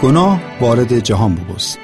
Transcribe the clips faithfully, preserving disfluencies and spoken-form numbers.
گناه واردٚ جهان بوبوست.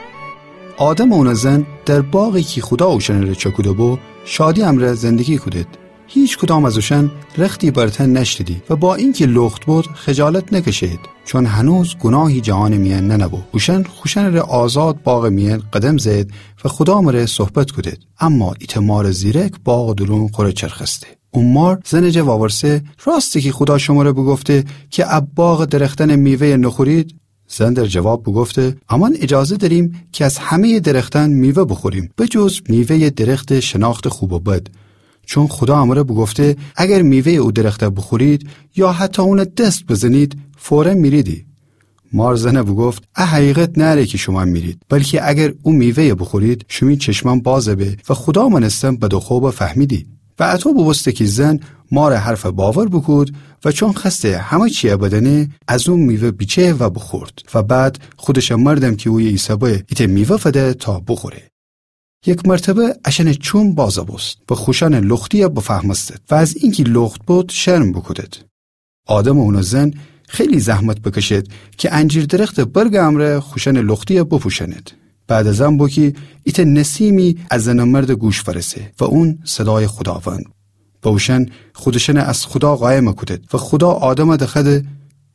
آدم و اونٚ زن در باغی کی خودا اوشأنٚره چأکوده‌بو، شادی امرأ زندگی کودید. هیکدام از اوشأن رختی بر تن نأشتیدی و با اینکی لخت بد، خجالت نکشه‌یید، چون هنوز گناهی جهانٚ میأن ننه‌بو. اوشأن خوشأنٚره آزاد باغٚ میأن قدم زه‌یید و خودا مره صحبت کودید. اما ایتأ مارٚ زیرک باغٚ دورون خوره چرخسته. او مار زنٚ جا وأورسه: راسته کی خودا شمره بوگفته کی ا باغٚ درختأنٚ میوه‌یَ نوخورید؟ زن در جواب بوگفته: امأن اجازه دأریم کی از همه‌یٚ درختأن میوه بوخوریم، بجز میوه‌یٚ درختٚ شناختٚ خوب و بد. چون خودا امره بوگفته: اگر میوه‌یٚ او درخت بوخورید یا حتی اونَ دس بزنید، فوراً میریدی. مار زنَ بوگفت: ا حقیقت نأره کی شومأن میرید، بلکی اگر او میوه‌یَ بوخورید، شیمی چشمأن باز به و خودا مأنستن بد و خوبَ فهمیدی. و اطو بوبوسته کی زن مارٚ حرفَ باور بوکود و چون خوأسته همه چیَ بدأنه، از او میوه بیچه و بوخورد. و بعد خودشٚ مردم کی اویه ایسه‌به ایتأ میوه فده تا بوخوره. یک مرتبه اشأنٚ چوم بازَ بوست و خوشأنٚ لختیَ بفهمستید و از اینکی لخت بد شرم بوکودید. آدم و اونٚ زن خیلی زحمت بکشید کی انجیر درختٚ برگٚ امرأ خوشأنٚ لختیَ بپوشأنید. بعد از ان بو کی ایتأ نسیمی از زنٚ مردٚ گوش فأرسه و اون صدایٚ خوداوند. و اوشأن خودشأنَ از خودا قایمَ کودید و خودا آدمَ دخوأده: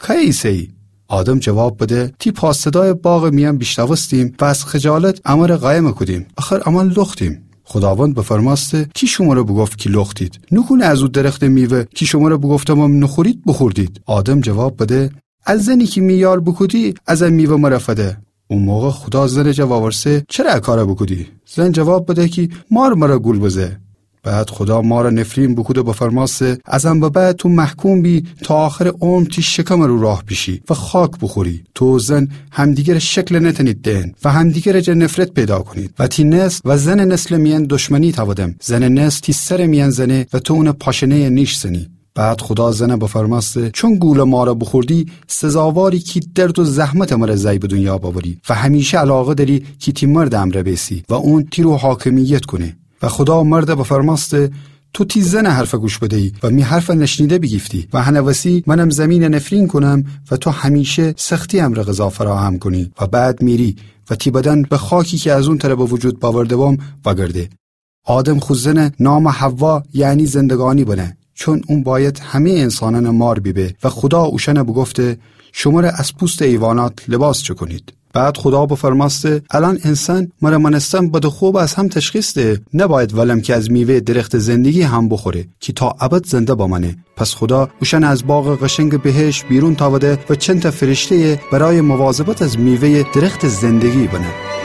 کی ایسه‌یی؟ آدم جواب بده: تی پا صدایَ باغٚ میأن بیشنوستیم و از خجالت امرَ قایمَ کودیم، آخر امأن لختیم. خوداوند بفرمأسته: کی شمره بوگفت کی لختید؟ نوکونه از او درختٚ میوه کی شمره بوگفتمم نوخورید، بوخوردید؟ آدم جواب بده: ا زنی کی می یار بوکودی، از ا میوه مره فده. او موقع خودا زنٚ جا وأورسه: چره ا کارَ بوکودی؟ زن جواب بده کی مار مره گول بزه. بعد خودا مارَ نفرین بوکود و بفرمأسته: از ان به بعد تو محکوم بی تا آخرٚ عمر تی شکمٚ رو راه بیشی و خاک بوخوری. تو و زن همدیگرٚ شکلَ نتأنید دئن و همدیگرٚ جا نفرت پیدا کونید و تی نسل و زنٚ نسلٚ میأن دشمنی تأودم. زنٚ نسل تی سرٚ میأن زنه و تو اونٚ پاشنه‌یَ نیش زنی. بعد خودا زنَ بفرمأسته: چون گولٚ مارَ بوخوردی، سزاواری کی درد و زحمتٚ مره زأی به دونیا بأوری و همیشه علاقه دأری کی تی مردٚ امرأ بیسی و اون تی رو حاکمیت کونه. و خودا مردَ بفرمأسته: تو تی زنٚ حرفَ گوش بده‌یی و می حرفَ نشنیده بیگیفتی و هنٚ وسی منم زمینَ نفرین کونم و تو همیشه سختی امرأ غذا فراهم کونی و بعد میری و تی بدن به خاکی کی از اون تره به وجود بأورده‌بم وأگرده. آدم خو زنٚ نامَ حوا، یعنی زندگانی بنه، چون اون بأید همه‌یٚ انسانأنٚ مار بیبه و خودا اوشأنَ بوگفته: شمره از پوستٚ حیوانات لباس چکونید. بعد خودا بفرمأسته: الأن انسان مره مأنستن بد و خوبَ از هم تشخیص ده، نبأید ولم کی از میوه‌یٚ درختٚ زندگی هم بوخوره کی تا ابد زنده بمأنه. پس خودا اوشأنَ از باغٚ قشنگٚ بهشت بیرون تأوده و چندتأ فرشته‌یَ برایٚ مواظبت از میوه‌یٚ درختٚ زندگی بنه.